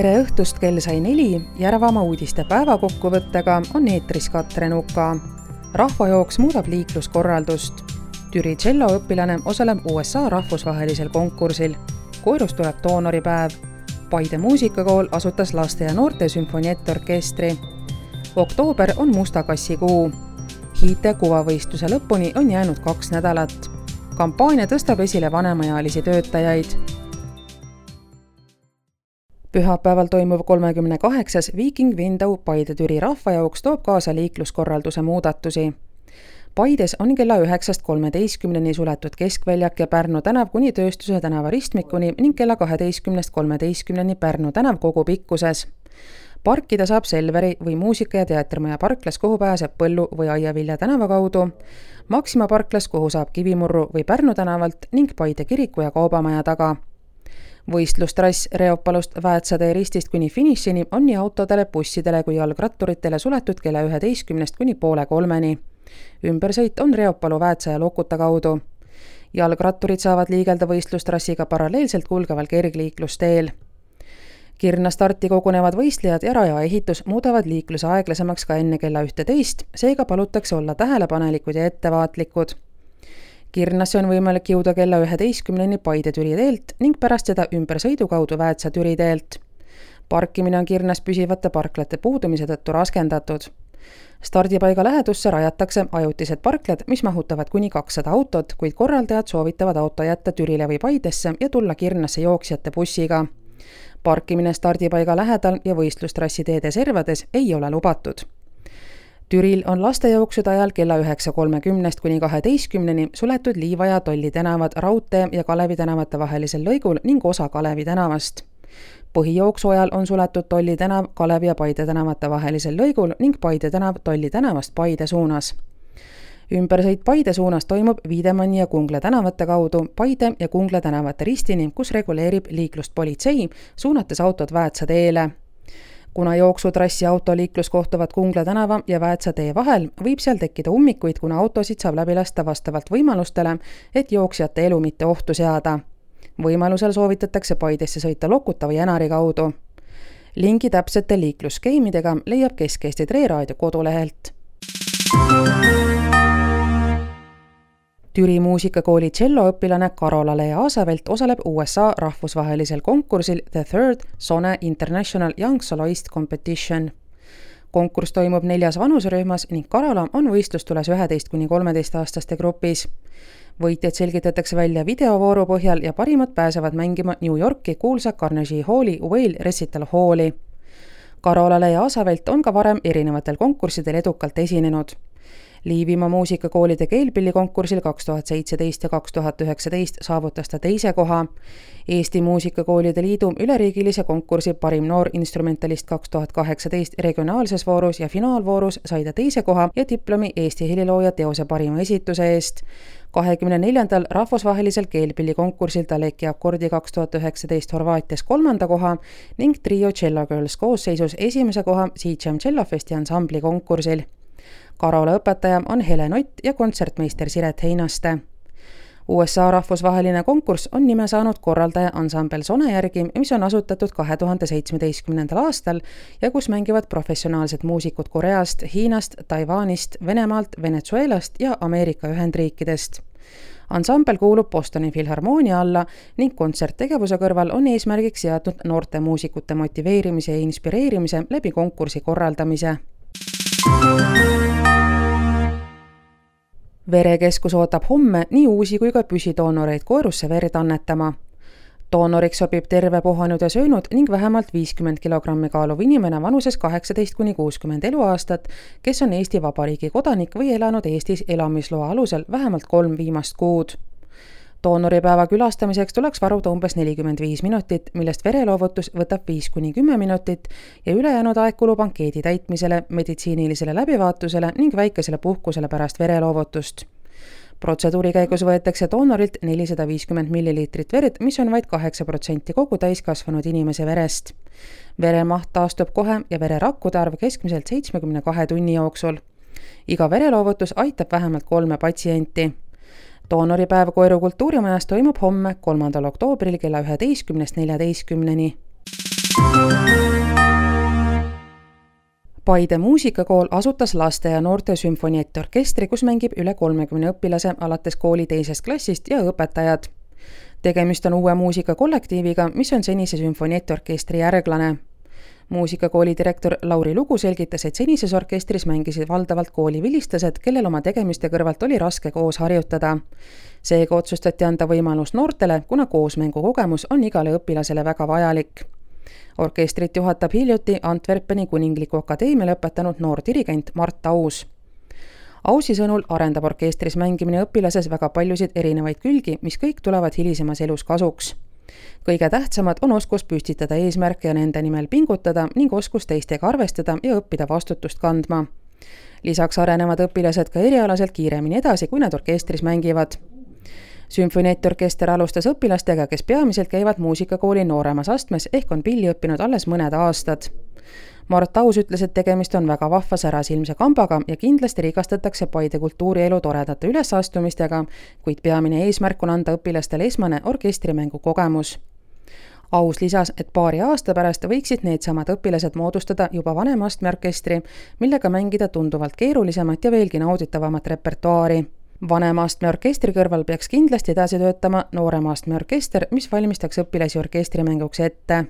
Tere õhtust, kell sai 4, Järvamaa uudiste päevakokkuvõttega on eetris Katrin Uka. Rahvajooks muudab liikluskorraldust. Türi tšelloõpilane osaleb USA rahvusvahelisel konkursil. Koirust tuleb doonoripäev. Paide muusikakool asutas laste ja noorte sümfoniettorkestri. Oktoober on musta kassi kuu. Hiite kuvavõistluse lõpuni on jäänud 2 nädalat. Kampaania tõstab esile vanemaealisi töötajaid. Pühapäeval toimuv 38. Viiking Windau Paide-Türi rahvajooks toob kaasa liikluskorralduse muudatusi. Paides on kella 9:13 suletud Keskväljak ja Pärnu tänav kuni Tööstuse tänava ristmikuni ning kella 12:13 Pärnu tänav kogu pikkuses. Parkida saab Selveri või Muusika- ja teatrimaja parklas, kuhu pääseb Põllu või Aiavilja tänava kaudu, Maxima parklas, kuhu saab Kivimurru või Pärnu tänavalt ning Paide kiriku ja kaubamaja taga. Võistlustrass Reopalust Väätsatee ristist kuni finišini on nii autodele, bussidele kui jalgratturitele suletud kella 11 kuni poole 3. Ümbersõit on Reopalu Väätsa ja Lokuta kaudu. Jalgratturid saavad liigelda võistlustrassiga paralleelselt kulgeval kergliiklusteel. Kirna starti kogunevad võistlejad ja raja ehitus muudavad liikluse aeglasemaks ka enne kella 11, seega palutakse olla tähelepanelikud ja ettevaatlikud. Kirnasse on võimalik jõuda kella 11 Paide-Türi teelt ning pärast seda ümbersõidu kaudu Väätsa-Türi teelt. Parkimine on Kirnas püsivate parklate puudumise tõttu raskendatud. Stardipaiga lähedusse rajatakse ajutised parklad, mis mahutavad kuni 200 autot, kuid korraldajad soovitavad auto jätta Türile või Paidesse ja tulla Kirnasse jooksjate bussiga. Parkimine stardipaiga lähedal ja võistlustrassi teede servades ei ole lubatud. Türil on lastejooksude ajal kella 9:30 kuni 12 suletud Liiva ja Tolli tänavad Raudtee ja Kalevi tänavate vahelisel lõigul ning osa Kalevi tänavast. Põhijooksu ajal on suletud Tolli tänav Kalevi ja Paide tänavate vahelisel lõigul ning Paide tänav Tolli tänavast Paide suunas. Ümbersõit Paide suunas toimub Viidemanni ja Kungla tänavate kaudu Paide ja Kungla tänavate ristini, kus reguleerib liiklust politsei, suunates autod Väätsa teele. Kuna jooksutrassi autoliiklus kohtuvad Kungla tänava ja Väätsa tee vahel, võib seal tekkida ummikuid, kuna autosid saab läbi lasta vastavalt võimalustele, et jooksjate elu mitte ohtu seada. Võimalusel soovitatakse Paidesse sõita Lokuta või Enari kaudu. Lingi täpsete liiklusskeemidega leiab Kesk-Eesti Treeraadio kodulehelt. Türi muusikakooli tšelloõpilane Karola-Lea Aasavelt osaleb USA rahvusvahelisel konkursil The Third Sone International Young Soloist Competition. Konkurss toimub 4 vanuserühmas ning Karola on võistlustules 11–13 aastaste grupis. Võitjad selgitatakse välja videovooru põhjal ja parimad pääsevad mängima New Yorki kuulsa Carnegie Halli Whale Recital Halli. Karola-Lea Aasavelt on ka varem erinevatel konkurssidel edukalt esinenud. Liivimaa muusikakoolide keelpillikonkursil 2017 ja 2019 saavutas ta 2. koha. Eesti muusikakoolide liidu üleriigilise konkursi parim noor instrumentalist 2018 regionaalses voorus ja finaalvoorus sai ta 2. koha ja diplomi Eesti helilooja teose parima esituse eest. 24. rahvusvahelisel keelpillikonkursil ta Leki akordi 2019 Horvaatias 3. koha ning Trio Cello Girls koosseisus 1. koha Siitšem Cellofesti ansambli konkursil. Karola õpetaja on Helen Ott ja kontsertmeister Siret Heinaste. USA rahvusvaheline konkurss on nime saanud korraldaja ansambel Sone järgi, mis on asutatud 2017. aastal ja kus mängivad professionaalsed muusikud Koreast, Hiinast, Taiwanist, Venemaalt, Venezuelast ja Ameerika Ühendriikidest. Ansambel kuulub Bostoni Filharmoonia alla ning kontserttegevuse kõrval on eesmärgiks seatud noorte muusikute motiveerimise ja inspireerimise läbi konkursi korraldamise. Verekeskus ootab homme nii uusi kui ka püsidoonoreid koerusse verd annetama. Doonoriks sobib terve puhanud ja söönud ning vähemalt 50 kilogrammi kaaluv inimene vanuses 18–60 eluaastat, kes on Eesti Vabariigi kodanik või elanud Eestis elamisloa alusel vähemalt 3 viimast kuud. Doonoripäeva külastamiseks tuleks varuda umbes 45 minutit, millest vereloovutus võtab 5–10 minutit ja ülejäänud aeg kulub ankeedi täitmisele, meditsiinilisele läbivaatusele ning väikesele puhkusele pärast vereloovutust. Protseduuri käigus võetakse doonorilt 450 milliliitrit verd, mis on vaid 8% kogu täiskasvanud inimese verest. Veremaht taastub kohe ja vererakkude arv keskmiselt 72 tunni jooksul. Iga vereloovutus aitab vähemalt 3 patsienti. Doonoripäev Koiru kultuurimajas toimub homme 3. oktoobril kella 11–14. Paide muusikakool asutas laste ja noorte sümfoniettorkestri, kus mängib üle 30 õpilase alates kooli 2. klassist ja õpetajad. Tegemist on uue muusikakollektiiviga, mis on senise sümfoniettorkestri järglane. Muusikakooli direktor Lauri Lugu selgitas, et senises orkestris mängisid valdavalt kooli vilistased, kellel oma tegemiste kõrvalt oli raske koos harjutada. Seega otsustati anda võimalus noortele, kuna koosmängu kogemus on igale õpilasele väga vajalik. Orkestrit juhatab hiljuti Antwerpeni Kuningliku Akadeemia lõpetanud noor dirigent Mart Aus. Ausi sõnul arendab orkestris mängimine õpilases väga paljusid erinevaid külgi, mis kõik tulevad hilisemas elus kasuks. Kõige tähtsamad on oskus püstitada eesmärke ja nende nimel pingutada ning oskus teistega arvestada ja õppida vastutust kandma. Lisaks arenevad õpilased ka erialaselt kiiremini edasi, kui nad orkestris mängivad. Sümfoniettorkester alustas õpilastega, kes peamiselt käivad muusikakooli nooremas astmes ehk on pilli õppinud alles mõned aastad. Mart Aus ütles, et tegemist on väga vahva särasilmse kambaga ja kindlasti rikastatakse Paide kultuurielu toredate ülesastumistega, kuid peamine eesmärk on anda õpilastele esmane orkestrimängu kogemus. Aus lisas, et paari aasta pärast võiksid needsamad õpilased moodustada juba vanema astme orkestri, millega mängida tunduvalt keerulisemat ja veelgi nauditavamat repertuaari. Vanema astme orkestri kõrval peaks kindlasti edasi töötama noorema astme orkester, mis valmistaks õpilasi orkestrimänguks ette.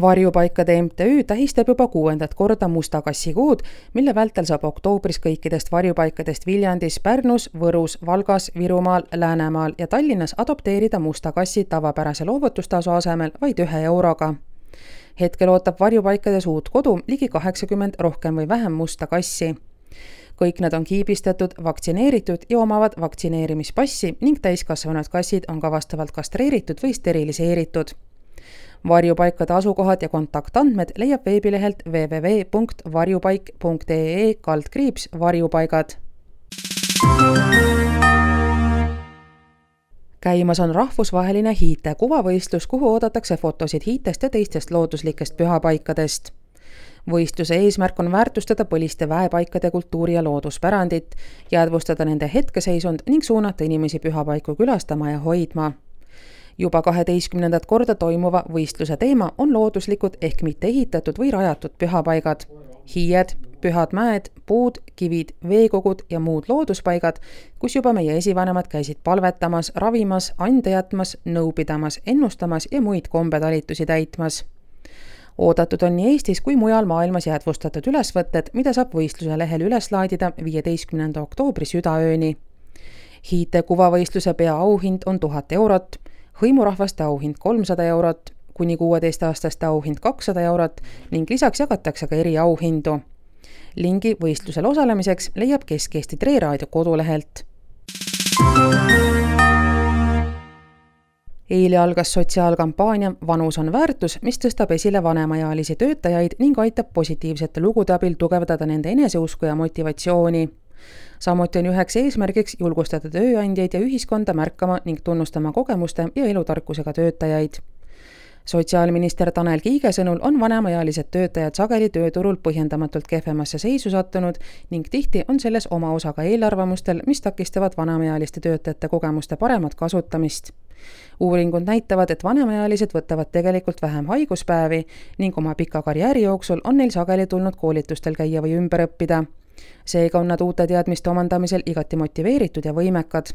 Varjupaikade MTÜ tähistab juba 6. korda Musta kassi kuud, mille vältel saab oktoobris kõikidest varjupaikadest Viljandis, Pärnus, Võrus, Valgas, Virumaal, Läänemaal ja Tallinnas adopteerida musta kassi tavapärase loovutustasu asemel vaid 1 euroga. Hetkel ootab varjupaikades uut kodu ligi 80 rohkem või vähem musta kassi. Kõik nad on kiibistatud, vaktsineeritud ja omavad vaktsineerimispassi ning täiskasvanud kassid on ka vastavalt kastreeritud või steriliseeritud. Varjupaikade asukohad ja kontaktandmed leiab veebilehelt www.varjupaik.ee/varjupaigad. Käimas on rahvusvaheline hiite kuvavõistlus, kuhu oodatakse fotosid hiitest ja teistest looduslikest pühapaikadest. Võistluse eesmärk on väärtustada põliste väepaikade kultuuri ja looduspärandit, jäädvustada nende hetkeseisund ning suunata inimesi pühapaiku külastama ja hoidma. Juba 12. korda toimuva võistluse teema on looduslikud ehk mitte ehitatud või rajatud pühapaigad. Hiied, pühad mäed, puud, kivid, veekogud ja muud looduspaigad, kus juba meie esivanemad käisid palvetamas, ravimas, ande jätmas, nõu pidamas, ennustamas ja muid kombetalitusi täitmas. Oodatud on nii Eestis kui mujal maailmas jäädvustatud ülesvõtted, mida saab võistluse lehel üles laadida 15. oktoobri südaööni. Hiite kuvavõistluse peaauhind on 1000 eurot, hõimurahvaste auhind 300 eurot, kuni 16-aastaste auhind 200 eurot ning lisaks jagatakse ka eriauhindu. Lingi võistlusel osalemiseks leiab Kesk-Eesti Treeraadio kodulehelt. Eile algas sotsiaalkampaania Vanus on väärtus, mis tõstab esile vanemaealisi töötajaid ning aitab positiivsete lugude abil tugevdada nende eneseusku ja motivatsiooni. Samuti on üheks eesmärgiks julgustada tööandjaid ja ühiskonda märkama ning tunnustama kogemuste ja elutarkusega töötajaid. Sotsiaalminister Tanel Kiige sõnul on vanemaealised töötajad sageli tööturul põhjendamatult kehvemasse seisu sattunud ning tihti on selles oma osa ka eelarvamustel, mis takistavad vanemaealiste töötajate kogemuste paremat kasutamist. Uuringud näitavad, et vanemaealised võtavad tegelikult vähem haiguspäevi ning oma pika karjääri jooksul on neil sageli tulnud koolitustel käia või ümber õppida. Seega on nad uute teadmiste omandamisel igati motiveeritud ja võimekad.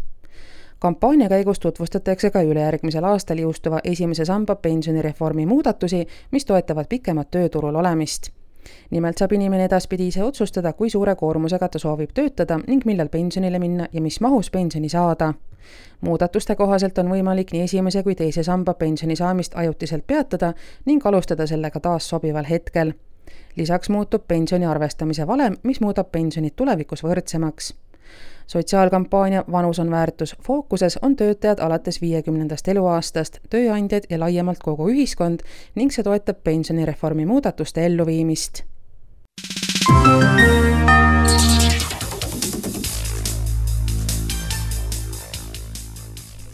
Kampaania käigus tutvustatakse ka ülejärgmisel aastal jõustuva esimese samba pensionireformi muudatusi, mis toetavad pikemat tööturul olemist. Nimelt saab inimene edaspidi ise otsustada, kui suure koormusega ta soovib töötada ning millal pensionile minna ja mis mahus pensioni saada. Muudatuste kohaselt on võimalik nii esimese kui teise samba pensioni saamist ajutiselt peatada ning alustada sellega taas sobival hetkel. Lisaks muutub pensioni arvestamise valem, mis muudab pensionid tulevikus võrdsemaks. Sotsiaalkampaania Vanus on väärtus fookuses on töötajad alates 50. eluaastast, tööandjad ja laiemalt kogu ühiskond ning see toetab pensionireformi muudatuste elluviimist.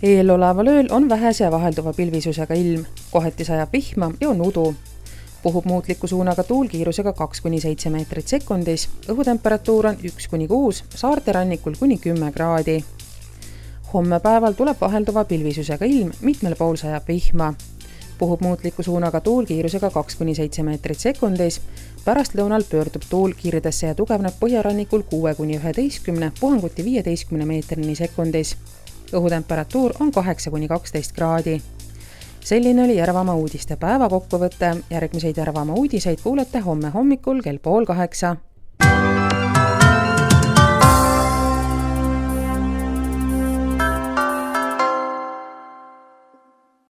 Eeloleval ööl on vähese ja vahelduva pilvisusega ilm, kohati sajab vihma ja on udu. Puhub muutliku suunaga tuul kiirusega 2–7 meetrit sekundis, õhutemperatuur on 1–6, saarte rannikul kuni 10 kraadi. Homme päeval tuleb vahelduva pilvisusega ilm, mitmel pool sajab vihma. Puhub muutliku suunaga tuul kiirusega 2–7 meetrit sekundis. Pärastlõunal pöördub tuul kiiridesse ja tugevneb põhjarannikul 6–11, puhanguti 15 meetrini sekundis. Õhutemperatuur on 8–12 kraadi. Selline oli Järvamaa uudiste päeva kokkuvõte. Järgmiseid Järvamaa uudiseid kuulete homme hommikul kell 7:30.